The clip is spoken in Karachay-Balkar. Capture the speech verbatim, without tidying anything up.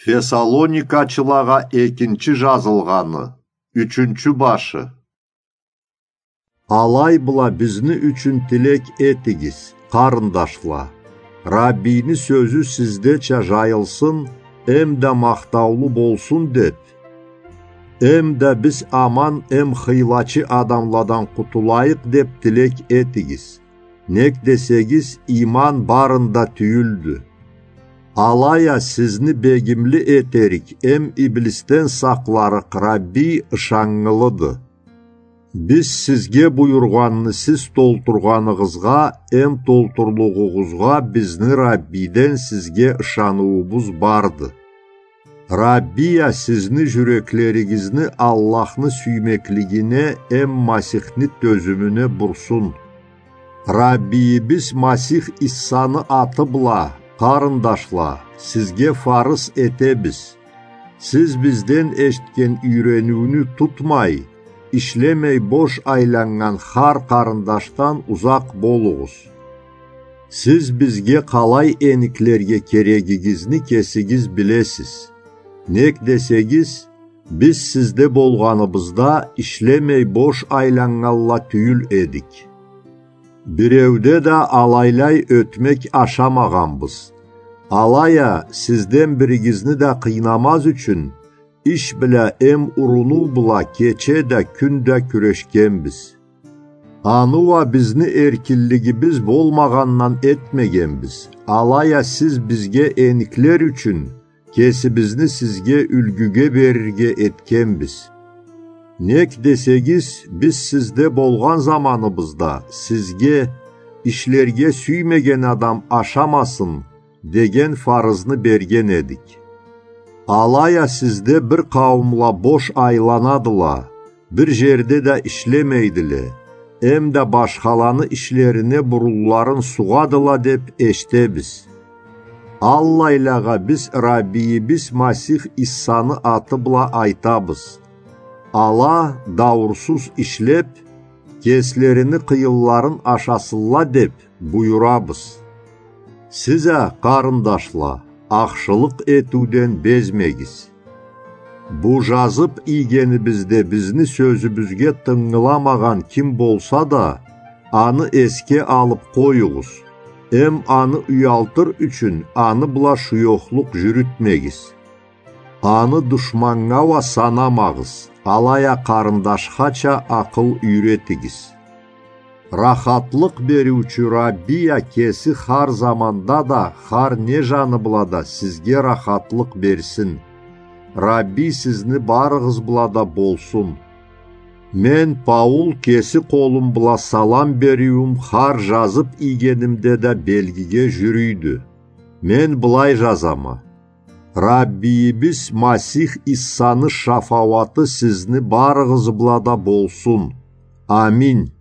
Фессалоникачылагъа экинчи жазылгъаны, ючюнчю башы. Алай бла бизни ючюн тилек этигиз, къарындашла. Раббийни сёзю сиздеча жайылсын, эм да махтаулу болсун деп, эм да биз аман эм хыйлачы адамладан къутулайыкъ деп тилек этигиз. Нек десегиз, иман барында тюйюлдю. Алай а сизни бегимли этерик эм иблисден сакъларыкъ Раббий ышаннгылыды. Биз сизге буюргъанны сиз толтургъаныгъызгъа эм толтурлугъугъузгъа бизни Раббийден сизге ышаныуубуз барды. Раббий а сизни жюреклеригизни Аллахны сюймеклигине эм Масихни тёзюмюне бурсун. Раббийибиз Масих Иссаны аты бла, къарындашла, сизге фарыз этебиз. Сиз бизден эшитген юйрениуню тутмай, ишлемей бош айланнган хар къарындашдан узакъ болугъуз. Сиз бизге къалай эниклерге керегигизни кесигиз билесиз. Нек десегиз, биз сизде болгъаныбызда ишлемей бош айланнганла тюйюл эдик. Биреуде да алайлай ётмек ашамагъанбыз. Алай а сизден биригизни да къыйнамаз ючюн, иш бла эм урунуу бла кече да, кюн да кюрешгенбиз. Аны уа бизни эркинлигибиз болмагъандан этмегенбиз. Алай а сиз бизге эниклер ючюн кесибизни сизге юлгюге берирге этгенбиз. Нек десегиз, биз сизде болгъан заманыбызда сизге: «Ишлерге сюймеген адам ашамасын» деген фарызны берген эдик. Алай а сизде бир къауумла бош айланадыла, бир жерде да ишлемейдиле, эм да башхаланы ишлерине бурунларын сугъадыла деп эшитебиз. Аллайлагъа биз Раббийибиз Масих Иссаны аты бла айтабыз: ала дауурсуз ишлеп, кеслерини къыйынларын ашасынла деп буюрабыз. Сиз а, къарындашла, ахшылыкъ этиуден безмегиз. Бу жазып ийгенибизде бизни сёзюбюзге тынгыламагъан ким болса да, аны эсге алып къоюгъуз, эм аны уялтыр ючюн аны бла шуёхлукъ жюрютмегиз. Аны душманнга уа санамагъыз, алай а къарындашхача акъыл юйретигиз. Рахатлыкъ бериучю Раббий а кеси хар заманда да, хар не жаны бла да сизге рахатлыкъ берсин. Раббий сизни барыгъыз бла да болсун. Мен, Паул, кеси къолум бла салам бериуюм хар жазып ийгенимде да белгиге жюрюйдю. Мен былай жазама: Раббийибиз Масих Иссаны шафауаты сизни барыгъыз бла да болсун. Аминь.